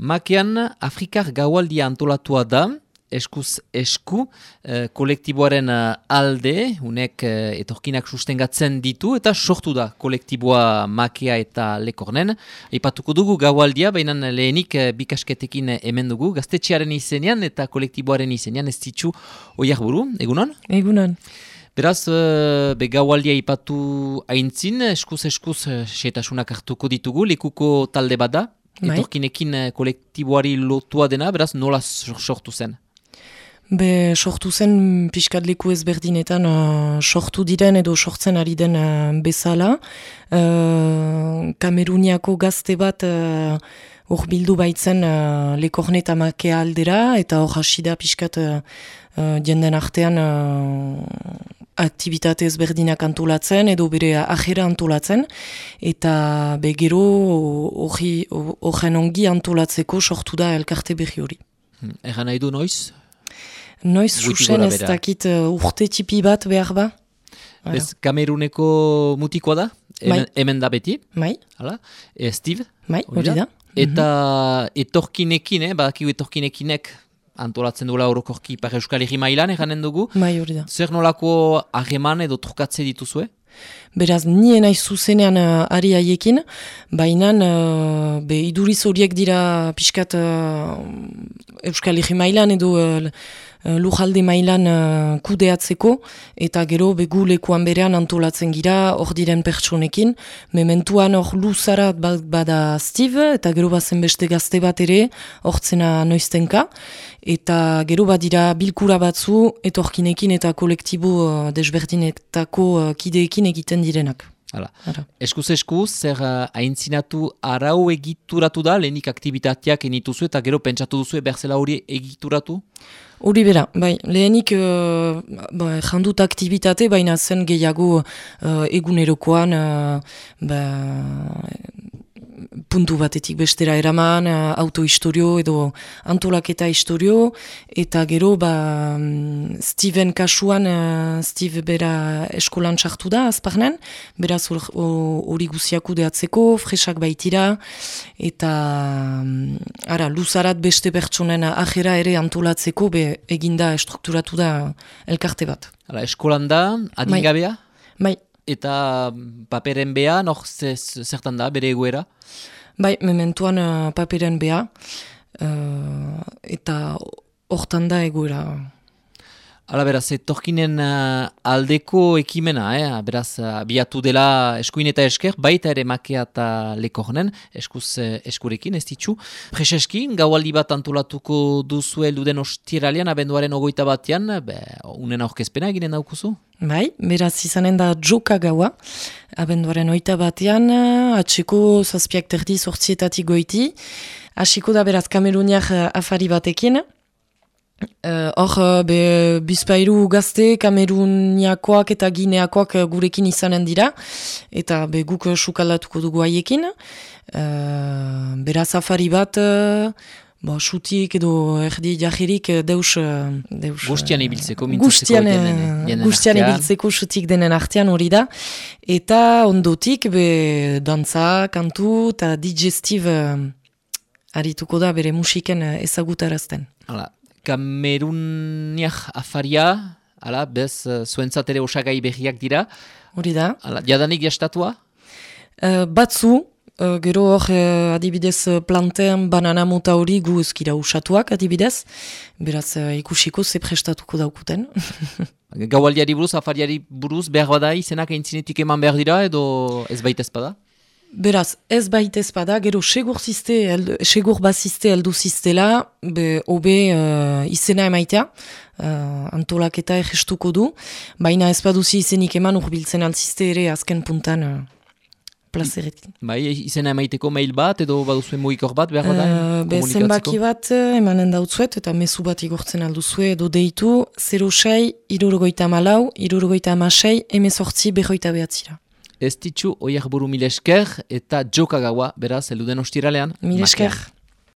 Makean Afrikar gaualdia antolatua da, eskuz esku, kolektiboaren alde, unek etorkinak sustengatzen ditu, eta sortu da kolektiboa Makea eta Lekornen. Aipatuko dugu gaualdia, baina lehenik bikasketekin hemen dugu, gaztetxearen izenean eta kolektiboaren izenean, ez ditzu Oiarburu, egunon? Egunon. Beraz, gaualdia ipatu aintzin, eskuz setasunak hartuko ditugu, lekuko talde bada, etorkinekin kolektiboari lotua dena, beraz, nola sortu zen? Sortu zen pixkat leku ezberdinetan sortu diren edo sortzen ari den bezala. Kameruniako gazte bat hor bildu baitzen Lekorne eta Makea aldera, eta hor hasi da pixkat jenden artean aktibitate ezberdinak antolatzen edo bere ajera antolatzen, eta gero horren ongi antolatzeko sortu da elkarte berri hori. Egan nahi du noiz? Noiz susen ez dakit urte tipi bat behar ba. Ez Kameruneko mutikoa da? Hemen da beti? Mai. Steve? Mai, hori da. Eta etorkinekin, badakigu etorkinekinek antolatzen duela orokorki Ipar Euskal Herri mailan eganen dugu. Mai, hori da. Zer nolako hageman edo trukatze dituzue? Beraz, nien aiz zuzenean ari haiekin, baina iduriz horiek dira pixkat Euskal Herri mailan edo lujalde mailan kudeatzeko, eta gero gu lekuan berean antolatzen gira hor diren pertsonekin. Mementuan hor luzarat bada Steve, eta gero bazen beste gazte bat ere, hortzena noiztenka, eta gero badira bilkura batzu etorkinekin eta kolektibo desberdinetako kideekin egiten direnak. Eskuz, zer haintzinatu arau egituratu da, lehenik aktivitateak enituzu eta gero pentsatu duzu berzela hori egituratu? Hori bera, lehenik jandut aktivitate, baina zen gehiago egunerokoan puntu batetik bestera eraman, autohistorio edo antolaketa historio, eta gero Steven kasuan, Steve bera eskolan sartu da, azparnen, beraz hori guziak kudeatzeko, fresak baitira, eta luzarat beste pertsonen ajera ere antolatzeko, eginda estrukturatu da elkarte bat. Eskolan da, adingabea? Bai. Eta paperen bea, zertan da, bere egoera? Mementuan paperen bea, eta hortan da egoera. Beraz, etorkinen aldeko ekimena, beraz, biatu dela eskuin eta esker, baita ere Makea eta Lekornen, eskurekin, ez ditzu. Preseskin, gaualdi bat antolatuko duzu elduden ostiralean, abenduaren 21, unen aurkezpena eginen daukuzu? Beraz izanen da joka gaua, abenduaren 21, atxeko 7:30 goiti, hasiko da beraz Kameruniak afari batekin. Hor, bizpairu gazte, Kameruniakoak eta Gineakoak gurekin izanen dira, eta guk sukaldatuko dugu haiekin. Beraz afari bat, xutik edo erdi jahirik deus... Gustian ibiltzeko, Gustian ibiltzeko xutik denen artean hori da. Eta ondotik, dantza, kantu eta digestive arituko da bere musiken ezagutarazten. Kameruniak afaria, zuentzat ere osagai berriak dira. Hori da. Jadanik jastatua? Batzu, gero hor adibidez plantean banana mota hori gu ezkira usatuak adibidez. Beraz ikusiko ze prestatuko daukuten. Gaualdiari buruz, afariari buruz, behar bada izenak aintzinetik eman behar dira edo ez baita ezpada? Beraz, ez baita ezpada, gero segur bazizte heldu ziztela, hobe izena emaitea, antolaketa egestuko du, baina ez baduzi izenik eman urbiltzen altzizte ere azken puntan plazeretik. Izena emaiteko mail bat edo baduzuen mugikor bat behar bada komunikatzeko? Zenbaki bat emanen dautzuet eta mezu bat igortzen alduzue edo deitu 06 64 66 18 59. Ez ditzu Oiarburu mil esker eta joka gaua, beraz, elduden ostiralean. Mil esker.